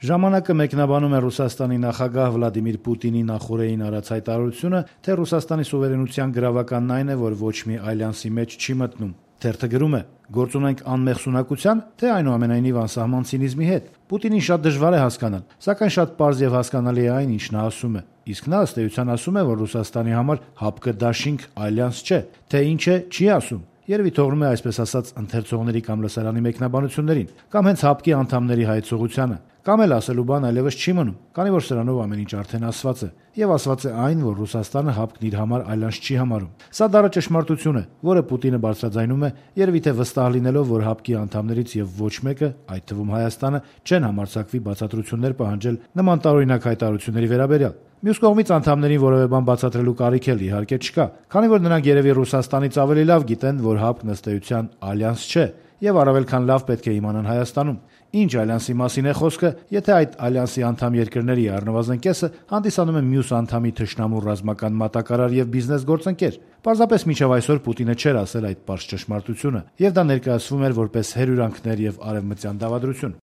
Ժամանակը մեկնաբանում է Ռուսաստանի նախագահ Վլադիմիր Պուտինի նախօրեին արած հայտարարությունը, թե Ռուսաստանի սուվերենության գրավականն այն է, որ ոչ մի ալյանսի մեջ չի մտնում։ Թերթը գրում է. «Գործ ունենք անմեղսունակության, թե այնուամենայնիվ անսահման ցինիզմի հետ։ Պուտինին շատ դժվար է հասկանալ, սակայն շատ պարզ եւ հասկանալի է այն, ինչ նա ասում է։ Իսկ նա ըստ էության ասում է, որ Ռուսաստանի համար ՀԱՊԿ դաշինք ալյանս չէ, թե ինչ է, չի ասում։ Երևի թողնում է այսպես ասած ընթերցողների կամ լսարանի մեկնաբանություններին, կամ հենց ՀԱՊԿ-ի անդամների հայեցողությանը, կամ էլ ասելու բան այլևս չի մնում, քանի որ սրանով ամեն ինչ արդեն ասված է, եւ ասված է այն, որ Ռուսաստանը ՀԱՊԿ-ն իր համար ալյանս չի համարում։ Սա դառը ճշմարտություն է, որը Պուտինը բարձրաձայնում է, երևի թե վստահ լինելով, որ ՀԱՊԿ-ի անդամներից եւ ոչ մեկը, այդ թվում Հայաստանը, չեն համարձակվի բացատրություններ պահանջել նման տարօրինակ հայտարարությունների վերաբերյալ։ Մյուս կողմից անդամներին որևէ բան բացատրելու կարիք էլ իհարկե չկա, քանի որ նրանք երևի Ռուսաստանից ավելի լավ գիտեն, որ ՀԱՊԿ-ն ըստ էության ալյանս չէ, եւ առավել քան լավ պետք է իմանան Հայաստանում։ Ինչ ալյանսի մասին է խոսքը, եթե այդ ալյանսի անդամ երկրների առնվազն կեսը հանդիսանում են մյուս անդամի թշնամու ռազմական մատակարար եւ բիզնես գործընկեր։ Պարզապես մինչեւ այսօր Պուտինը չէր ասել այդ պարզ ճշմարտությունը, եւ դա ներկայացվում էր որպես հերյուրանքներ եւ արևմտյան դավադրություն։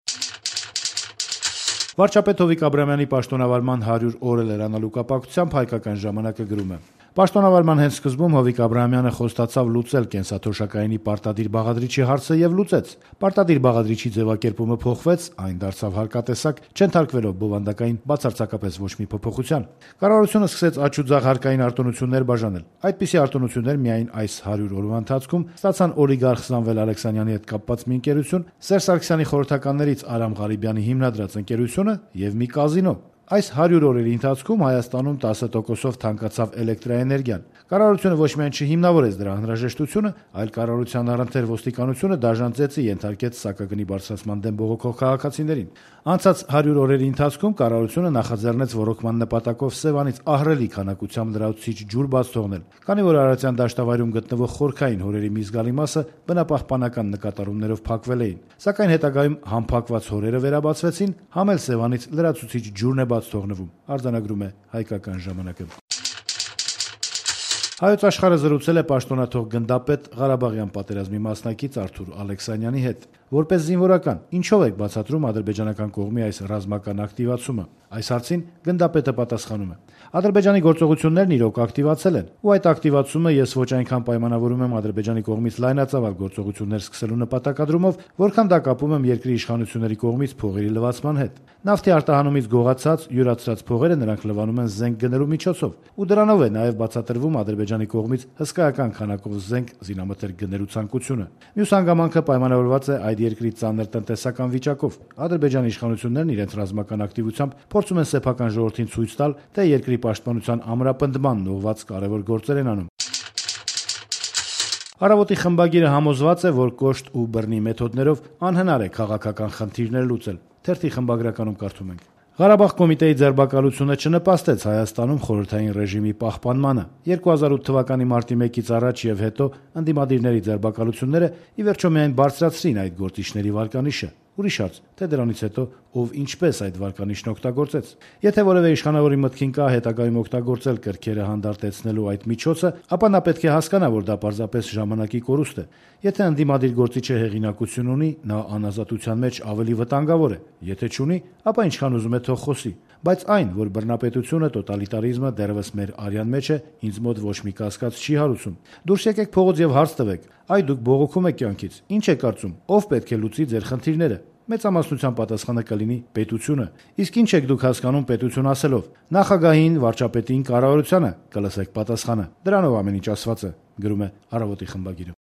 Վարչապետ Հովիկ Աբրահամյանի պաշտոնավարման 100 օրը լրանալու կապակցությամբ Հայկական ժամանակը գրում է. Պաշտոնավարման հենց սկզբում Հովիկ Աբրահամյանը խոստացավ լուծել կենսաթոշակայինի պարտադիր բաղադրիչի հարցը եւ լուծեց։ Պարտադիր բաղադրիչի ձևակերպումը փոխվեց, այն դարձավ հարկատեսակ, չընթարկվելով բովանդակային բացարձակապես ոչ մի փոփոխության։ Կառավարությունը սկսեց աճ ու ձախ հարկային արտոնություններ բաժանել։ Այդպիսի արտոնություններ միայն այս 100 օրվա ընթացքում ստացան օլիգարխ Սամվել Ալեքսանյանի հետ կապված մի ընկերություն, Սերժ Սարգսյանի խորհրդականներից Արամ Ղարիբյանի հիմնադրած ընկերությունը եւ մի կազինո։ Այս 100 օրերի ընթացքում Հայաստանում 10%-ով թանկացավ էլեկտրաէներգիան։ Կառավարությունը ոչ միայն չհիմնավորեց դրա անհրաժեշտությունը, այլ կառավարության առընթեր ոստիկանությունը դաժան ծեծի ենթարկեց սակագնի բարձրացման դեմ բողոքող քաղաքացիներին։ Անցած 100 օրերի ընթացքում կառավարությունը նախաձեռնեց ոռոգման նպատակով Սևանից ահռելի քանակությամբ լրացուցիչ ջուր բաց թողնել, քանի որ Արարատյան դաշտավայրում գտնվող խորքային հորերի մի զգալի մասը բնապահպանական նկատառումներով փակվել էին։ Սակայն հետագայում համփակված հորերը վերաբացվեցին, համ էլ Սևանից լրացուցիչ ջուրն է բաց թողնվում, արձանագրում է Հայկական ժամանակը։ Հայոց աշխարհը զրուցել է պաշտոնաթող գնդապետ Ղարաբաղյան պատերազմի մասնակից Արթուր Ալեքսանյանի հետ։ Որպես զինվորական, ինչով եք բացատրում ադրբեջանական կողմի այս ռազմական ակտիվացումը։ Այս հարցին գնդապետը պատասխանում է. Ադրբեջանի գործողություններն իրոք ակտիվացել են, ու այդ ակտիվացումը ես ոչ այնքան պայմանավորում եմ Ադրբեջանի կողմից լայնածավալ գործողություններ սկսելու նպատակադրումով, որքան դա կապում եմ երկրի իշխանությունների կողմից փողերի լվացման հետ։ Նավթի արտահանումից գողացած, յուրացրած փողերը նրանք լվանում են զենք գնելու միջոցով, ու դրանով է նաև բացատրվում Ադրբեջանի կողմից հսկայական քանակով զենք զինամթերք գնելու ցանկությունը։ Մյուս հանգամանքը պայմանավորված է այդ երկրի ծանր տնտեսական վիճակով։ Ադրբեջանի իշխանություններն իրենց ռազմական ակտիվությամբ փորձում են սեփական ժողովրդին ցույց տալ, թե երկրի պաշտպանության ամրապնդմանն ուղղված կարևոր գործեր են անում։ Առավոտի խմբագիրը համոզված է, որ կոշտ ու բռնի մեթոդներով անհնար է քաղաքական խնդիրներ լուծել։ Թերթի խմբագրականում կարդում ենք. Ղարաբաղ կոմիտեի ձեռբակալությունը չնպաստեց Հայաստանում խորհրդային ռեժիմի պահպանմանը։ 2008 թվականի մարտի 1-ից առաջ եւ հետո ընդդիմադիրների ձեռբակալությունները ի վերջո միայն բարձրացրին այդ գործիչների վարկանիշը։ Ուրիշ հարց, թե դրանից հետո ով ինչպես այդ վարկանիշն օգտագործեց։ Եթե որևէ իշխանավորի մտքին կա հետագայում օգտագործել կրքերը հանդարտեցնելու այդ միջոցը, ապա նա պետք է հասկանա, որ դա պարզապես ժամանակի կորուստ է։ Եթե ընդդիմադիր գործիչը հեղինակություն ունի, նա անազատության մեջ ավելի վտանգավոր է։ Եթե չունի, ապա ինչքան ուզում է թող խոսի։ Բայց այն, որ բռնապետությունը, տոտալիտարիզմը դեռևս մեր արյան մեջ է, ինձ մոտ ոչ մի կասկած չի հարուցում։ Դուրս եկեք փողոց եւ հարց տվեք. այ դուք բողոքում եք կյանքից, ինչ եք կարծում, ով պետք է լուծի ձեր խնդիրները։ Մեծամասնության պատասխանը կլինի պետությունը։ Իսկ ինչ եք դուք հասկանում պետություն ասելով։ Նախագահին, վարչապետին, կառավարությանը կլսեք պատասխանը։ Դրանով ամեն ինչ ասված է, գրում է Առավոտի խմբագիրը։